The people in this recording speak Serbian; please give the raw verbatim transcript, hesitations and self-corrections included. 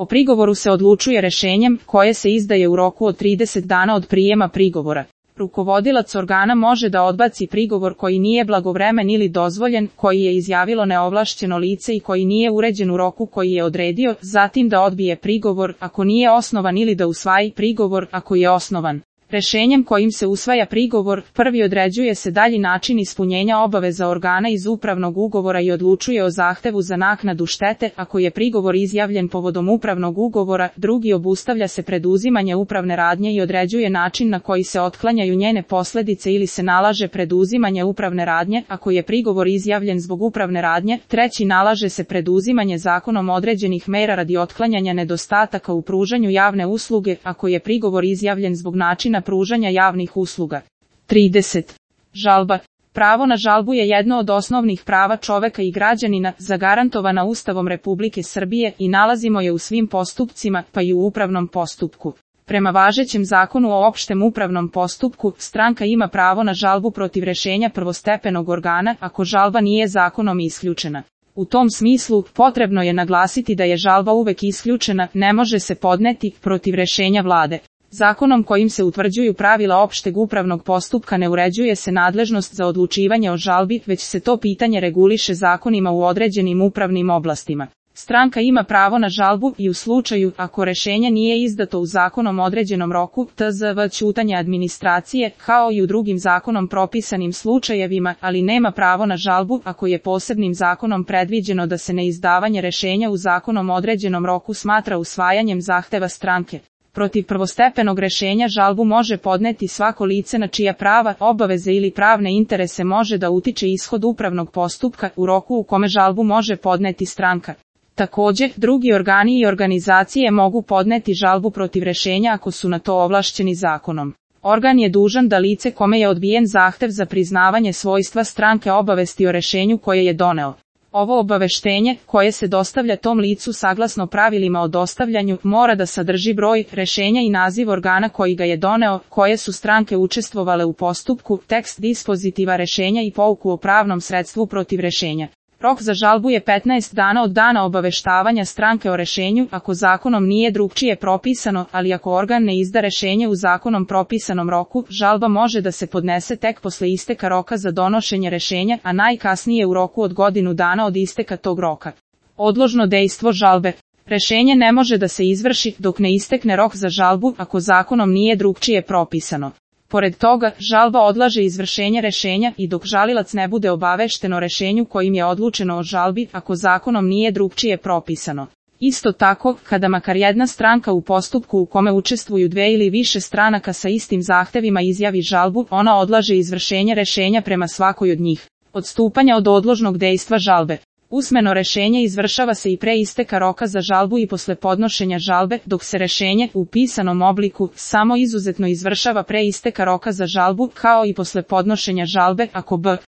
O prigovoru se odlučuje rešenjem, koje se izdaje u roku od trideset dana od prijema prigovora. Rukovodilac organa može da odbaci prigovor koji nije blagovremen ili dozvoljen, koji je izjavilo neovlašćeno lice i koji nije uređen u roku koji je odredio, zatim da odbije prigovor ako nije osnovan ili da usvaji prigovor ako je osnovan. Rešenjem kojim se usvaja prigovor, prvi određuje se dalji način ispunjenja obaveza organa iz upravnog ugovora i odlučuje o zahtevu za naknadu štete, ako je prigovor izjavljen povodom upravnog ugovora, drugi obustavlja se preduzimanje upravne radnje i određuje način na koji se otklanjaju njene posledice ili se nalaže preduzimanje upravne radnje, ako je prigovor izjavljen zbog upravne radnje, treći nalaže se preduzimanje zakonom određenih mera radi otklanjanja nedostataka u pružanju javne usluge, ako je prigovor izjavljen zbog načina pružanja javnih usluga. trideset. Žalba. Pravo na žalbu je jedno od osnovnih prava čoveka i građanina, zagarantovana Ustavom Republike Srbije i nalazimo je u svim postupcima, pa i u upravnom postupku. Prema važećem zakonu o opštem upravnom postupku, stranka ima pravo na žalbu protiv rešenja prvostepenog organa, ako žalba nije zakonom isključena. U tom smislu, potrebno je naglasiti da je žalba uvek isključena, ne može se podneti protiv rešenja vlade. Zakonom kojim se utvrđuju pravila opšteg upravnog postupka ne uređuje se nadležnost za odlučivanje o žalbi, već se to pitanje reguliše zakonima u određenim upravnim oblastima. Stranka ima pravo na žalbu i u slučaju ako rešenje nije izdato u zakonom određenom roku, tzv. ćutanje administracije, kao i u drugim zakonom propisanim slučajevima, ali nema pravo na žalbu ako je posebnim zakonom predviđeno da se neizdavanje rešenja u zakonom određenom roku smatra usvajanjem zahteva stranke. Protiv prvostepenog rešenja žalbu može podneti svako lice na čija prava, obaveze ili pravne interese može da utiče ishod upravnog postupka u roku u kome žalbu može podneti stranka. Takođe, drugi organi i organizacije mogu podneti žalbu protiv rešenja ako su na to ovlašćeni zakonom. Organ je dužan da lice kome je odbijen zahtev za priznavanje svojstva stranke obavesti o rešenju koje je doneo. Ovo obaveštenje, koje se dostavlja tom licu saglasno pravilima o dostavljanju, mora da sadrži broj rešenja i naziv organa koji ga je doneo, koje su stranke učestvovale u postupku, tekst dispozitiva rešenja i pouku o pravnom sredstvu protiv rešenja. Rok za žalbu je petnaest dana od dana obaveštavanja stranke o rešenju, ako zakonom nije drugčije propisano, ali ako organ ne izda rešenje u zakonom propisanom roku, žalba može da se podnese tek posle isteka roka za donošenje rešenja, a najkasnije u roku od godinu dana od isteka tog roka. Odložno dejstvo žalbe. Rešenje ne može da se izvrši dok ne istekne rok za žalbu, ako zakonom nije drugčije propisano. Pored toga, žalba odlaže izvršenje rešenja i dok žalilac ne bude obavešten o rešenju kojim je odlučeno o žalbi, ako zakonom nije drugčije propisano. Isto tako, kada makar jedna stranka u postupku u kome učestvuju dve ili više stranaka sa istim zahtevima izjavi žalbu, ona odlaže izvršenje rešenja prema svakoj od njih. Odstupanja od odložnog dejstva žalbe. Usmeno rešenje izvršava se i pre isteka roka za žalbu i posle podnošenja žalbe, dok se rešenje u pisanom obliku samo izuzetno izvršava pre isteka roka za žalbu, kao i posle podnošenja žalbe, ako b.